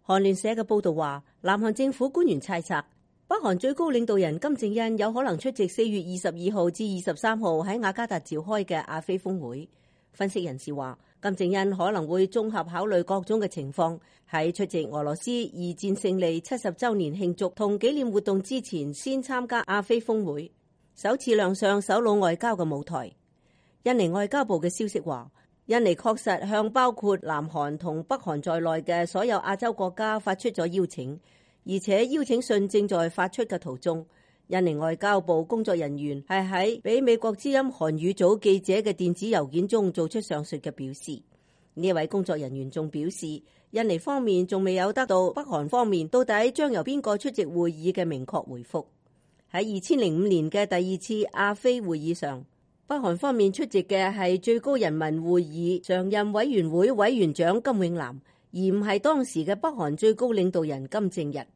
韓聯社嘅報導話，南韓政府官員猜測，北韓最高領導人金正恩有可能出席4月22號至23號喺雅加達召開嘅亞非峰會。分析人士話，金正恩可能會綜合考慮各種嘅情況，喺出席俄羅斯二戰勝利70週年慶祝同紀念活動之前，先參加亞非峰會，首次亮相首腦外交嘅舞台。印尼外交部嘅消息話，印尼確實向包括南韓同北韓在內嘅所有亞洲國家發出咗邀請，而且邀請信正在發出嘅途中。印尼外交部工作人員係喺俾美國之音韓語組記者嘅電子郵件中做出上述嘅表示。呢位工作人員仲表示，印尼方面仲未有得到北韓方面到底將由邊個出席會議嘅明確回覆。喺2005年嘅第二次亞非會議上，北韓方面出席嘅係最高人民會議常任委員會委員長金永南，而唔係當時嘅北韓最高領導人金正日。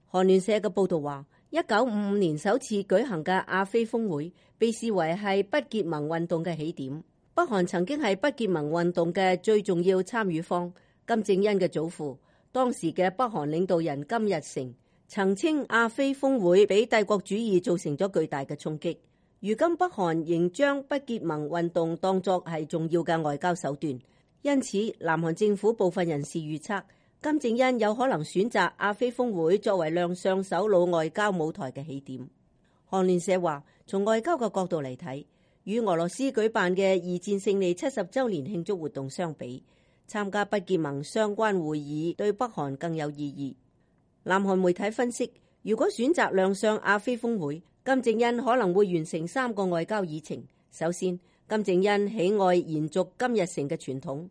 韓聯社嘅報導話，1955年首次舉行嘅亞非峰會被視為係不結盟運動嘅起點。北韓曾經係不結盟運動嘅最重要參與方。金正恩嘅祖父，當時嘅北韓領導人金日成，曾稱亞非峰會俾帝國主義造成咗巨大嘅衝擊。如今北韓仍將不結盟運動當作係重要嘅外交手段，因此南韓政府部分人士預測，金正恩有可能選擇亞非峰會作為亮相首腦外交舞台嘅起點。韓聯社話，從外交嘅角度嚟睇，與俄羅斯舉辦嘅二戰勝利70週年慶祝活動相比，參加不結盟相關會議對北韓更有意義。南韓媒體分析，如果選擇亮相亞非峰會，金正恩可能會完成3個外交議程。首先，金正恩喜愛延續金日成嘅傳統，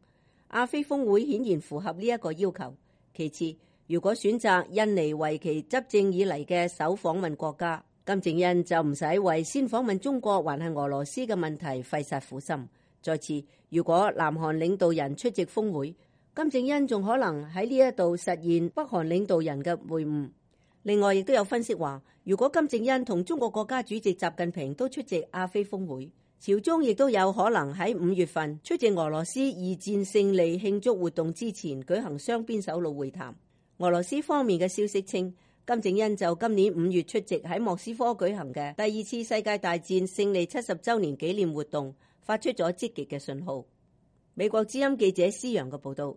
亞非峰會顯然符合呢一個要求。其次，如果選擇印尼為其執政以嚟嘅首訪問國家，金正恩就唔使為先訪問中國還係俄羅斯嘅問題費煞苦心。再次，如果南韓領導人出席峰會，金正恩仲可能喺呢一度實現北韓領導人嘅會晤。另外，亦都有分析話，如果金正恩同中國國家主席習近平都出席亞非峰會，朝中亦都有可能喺5月份出席俄羅斯二戰勝利慶祝活動之前舉行雙邊首腦會談。俄羅斯方面嘅消息稱，金正恩就今年5月出席喺莫斯科舉行嘅第2次世界大戰勝利70週年紀念活動，發出咗積極嘅信號。美國之音記者施洋嘅報導。